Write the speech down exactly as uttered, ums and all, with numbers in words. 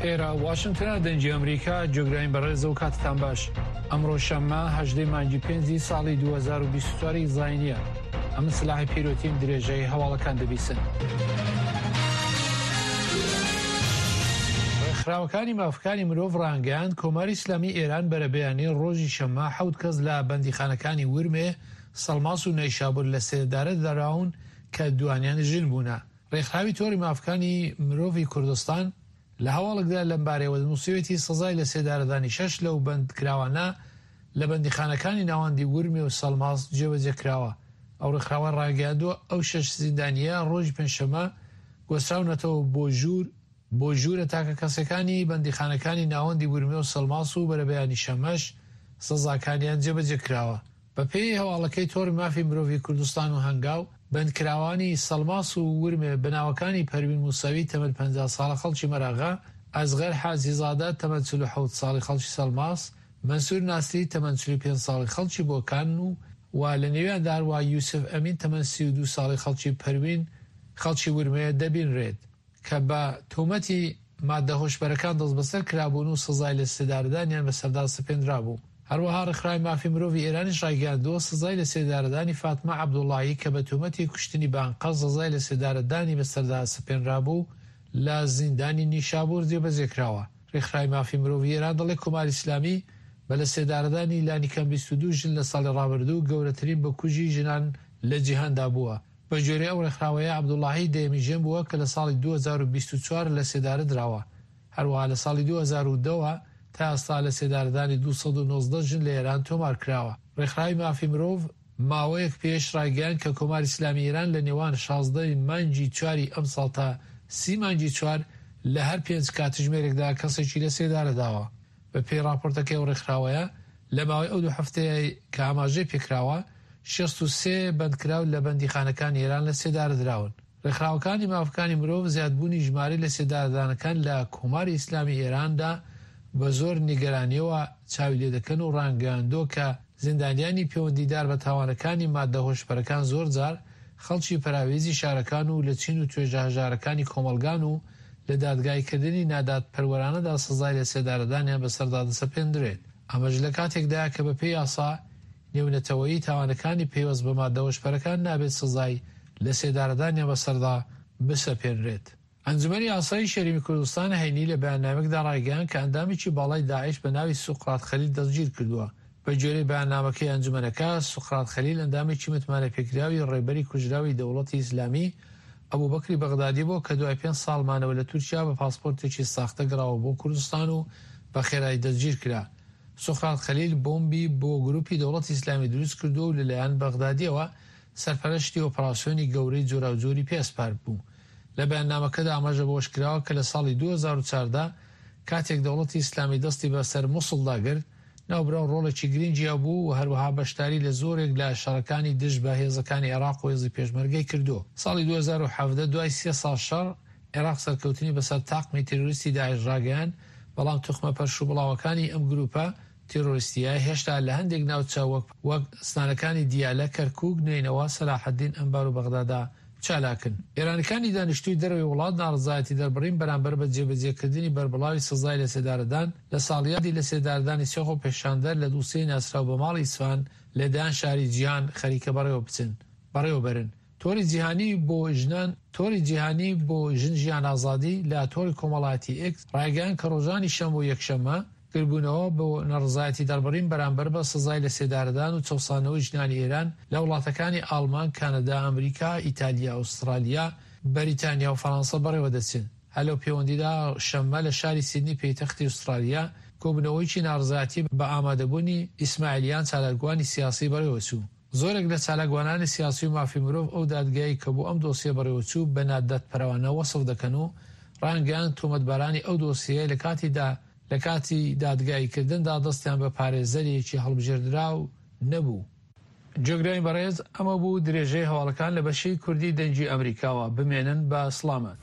ئێرە واشنگتنە، دەنگی ئەمریکا. جۆگراین بەڕێزە و کاتتان باش. ئەمڕۆ شەممە هەژدەی مانگی پێنجی ساڵی دوو هەزار و بیست و چوار ی زاینییە. ئەمن سلاحی پیرۆتیم، درێژەی هەواڵەکان دەبیسن. ڕێکخراوەکانی مافەکانی مرۆڤ ڕایانگەیاند، کۆماری ئیسلامی ئێران بەرەبەیانی ڕۆژی شەممە حەوت کەس لە بەندیخانەکانی ورمێ، سەڵماس و نەیشابور لە سێدارە دراون کە دوانیان ژن بوونە. ڕێکخراوی تۆڕی مافەکانی مرۆڤی کوردستان لە هەواڵێکدا لەمبارەیەوە نووسیویەتی، سزای لەسێدارەدانی شەش لەو بەندکراوانە لە بەندیخانەکانی ناوەندی ورمێ و سەڵماس جێبەجێ کراوە. ئەو ڕێکخراوە ڕایگەیاندووە، ئەو شەش زیندانییە ڕۆژی پێنجشەممە گواستراونەتەوە بۆ ژوور بۆ ژوورە تاکەکەسیەکانی بەندیخانەکانی ناوەندی ورمێ و سەڵماس و بەرەبەیانی شەممەش سزاکانیان جێبەجێ کراوە. بەپێی هەواڵەکەی تۆڕی مافی مرۆڤی کوردستان و هەنگاو، بەندکراوانی سەڵماس و ورمێ بە ناوەکانی پەروین موسەوی تەمەن پەنجا ساڵە خەڵکی مەراغە، ئەسغەر حاجیزادە تەمەن چل و حەوت ساڵی خەڵکی سەڵماس، مەنسوور ناسری تەمەن چل و پێنج ساڵی خەڵکی بۆکان و و لە نێویاندا هەروەها یوسف ئەمین تەمەن سی و دوو ساڵی خەڵکی پەروین خەڵکی ورمێ دەبینرێت کە بە تۆمەتی ماددە هۆشبەرەکان دەستبەسەر کرابوون و سزای لەسێدارەدانیان بەسەردا سەپێندرابوو. هەروەها ڕێکخراوی مافی مرۆڤی ئێرانیش ڕایگەیاندووە، سزای لەسێدارەدانی فاتمە عەبدوڵڵاهی کە بە تۆمەتی کوشتنی بە ئەنقەست سزای لەسێدارەدانی بەسەردا سەپێنرابوو، لە زیندانی نیشابوور جێبەجێ کراوە. ڕێکخراوی مافی مرۆڤی ئێران دەڵێت، کۆماری ئیسلامی بە لەسێدارەدانی لانیکەم بیست و دوو ژن لە ساڵی ڕابردوو، گەورەترین بکوژی ژنان لە جیهاندا بووە. بە گوێرەی ئەو ڕێکخراوەیە، عەبدوڵڵاهی دەیەمین ژن بووە کە لە ساڵی دوو هەزار و بیست و چوار لەسێدارە دراوە. هەروەها لە ساڵی دوو هەزار و دە وە تا ئێستا لەسێدارەدانی دوو سەد و نۆزدە ژن لە ئێران تۆمار کراوە. ڕێکخراوی مافی مرۆڤ ماوەیەک پێش ڕایگەیاند کە کۆماری ئیسلامی ئێران لە نێوان شازدە ی مانگی چواری ئەمساڵ تا سی مانگی چوار لە هەر پێنج کاتژمێرێکدا کەسێکی لە سێدارە داوە. بە پێی ڕاپۆرتەکەی ئەو ڕێکخراوەیە، لە ماوەی ئەو دوو هەفتەیە کە ئاماژەی پێکراوە، شەست و سێ بەندکراو لە بەندیخانەکانی ئێران لە سێدارە دراون. ڕێکخراوەکانی مافەکانی مرۆڤ زیادبوونی ژمارەی لەسێدارەدانەکان لە کۆماری ئیسلامی ئێراندا بە زۆر نیگەرانییەوە چاوی لێدەکەن و ڕایانگەیاندووە کە زیندانیانی پێوەندیدار بە تاوانەکانی ماددە هۆشبەرەکان زۆرجار خەڵکی پەراوێزی شارەکان و لە چین و توێژە هەژارەکانی کۆمەڵگان و لە دادگاییکردنی نادادپەروەرانەدا سزای لەسێدارەدانیان بەسەردا دەسەپێندرێت. ئەمەش لە کاتێکدایە کە بەپێی یاسا نێونەتەوەیی تاوانەکانی پەیوەست بە ماددە هۆشبەرەکان نابێت سزای لەسێدارەدانیان بەسەردا بسەپێنرێت. ئەنجومەنی ئاسایشی هەرێمی کوردستان هەینی لە بەیاننامەیەکدا ڕایگەیاند کە ئەندامێکی باڵای داعش بە ناوی سوقرات خەلیل دەستگیرکردووە. بەگوێرەی بەیاننامەکەی ئەنجومەنەکە، سوقرات خەلیل ئەندامێکی متمانەپێکراوی ڕێبەری کوژراوی دەوڵەتی ئیسلامی ئەبوبەکری بەغدادی بووە کە دوای پێنج ساڵ مانەوە لە تورکیا بە پاسپۆرتێکی ساختە گەڕاوە بۆ کوردستان و بە خێرایی دەستگیرکرا. سوقرات خەلیل بۆمبی بۆ گروپی دەوڵەتی ئیسلامی دروستکردووە و لەلایەن بەغدادییەوە سەرپەرشتی ئۆپراسیۆنی گەورەی جۆراوجۆری پێ ئەسپاردبوو. لە بەیاننامەکەدا ئاماژە بەوەشکراوە کە لە ساڵی دوو هەزار و چواردە کاتێک دەوڵەتی ئیسلامی دەستی بە سەر موسڵدا گرت، ناوبراو ڕۆڵێکی گرنگی هەبوو و هەروەها بەشداری لە زۆرێک لە شەڕەکانی دژ بە هێزەکانی عێراق و هێزی پێشمەرگەی کردووە. ساڵی دوو هەزار و حەڤدە دوای سێ ساڵ شەڕ، عێراق سەرکەوتنی بەسەر تاقمی تیرۆریستی داعش ڕاگەیاند، بەڵام توخمە پەرشوبڵاوەکانی ئەم گرووپە تیرۆریستییە هێشتا لە هەندێک ناوچە وەک وەک ستانەکانی دیالە، کەرکووک، نەینەوا، سەلاحەدین، ئەنبار و بەغدادا چالاکن. ئێرانیەکانی دانیشتووی دەرەوەی وڵات ناڕەزایەتی دەربڕین بەرامبەر بە جێبەجێکردنی بەربڵاوی سزای لەسێدارەدان لە ساڵیادی لەسێدارەدانی سێ خۆپێشاندەر لە دووسێی ناسراو بە ماڵی ئیسفان لە دەیان شاری جیهان خەریکە بەڕێوە بچن بەڕێوە بەرن. تۆری جیهانی بۆ ژنان تۆری جیهانی بۆ ژن ژیان ئازادی لە تۆری کۆمەڵایەتی ئێکس ڕایگەیاند کە ڕۆژانی شەممە و یەکشەممە گردبوونەوە بۆ ناڕەزایەتی دەربڕین بەرامبەر بە سزای لەسێدارەدان و چەوساندنەوەی ژنانی ئێران لە وڵاتەکانی ئاڵمان، کانەدا، ئەمریکا، ئیتالیا، ئوسترالیا، بەریتانیا و فەرانسە بەڕێوە دەچن. هەر لەو پێوەندیدا شەممە لە شاری سیدنی پێیتەختی ئوسترالیا کۆبوونەوەیەکی ناڕەزایەتی بە ئامادەبوونی ئیسماعیلیان چالاکوانی سیاسی بەڕێوە چوو. زۆرێک لە چالاکوانانی سیاسی و مافی مرۆڤ ئەو دادگایەی کە بۆ ئەم دۆسیە بەڕێوەچوو بە نادادپەروانە وەسف دەکەن و ڕایانگەیاند تۆمەتبارانی ئەو دۆسیەیە لە کاتی لە کاتی دادگاییکردندا دەستیان بە پارێزەرێکی هەڵبژێردراو نەبوو. جێگرانی بەڕێز ئەمە بوو درێژەی هەواڵەکان لە بەشی کوردی دەنگی ئەمریکاوە، بمێنن بە سڵامەت.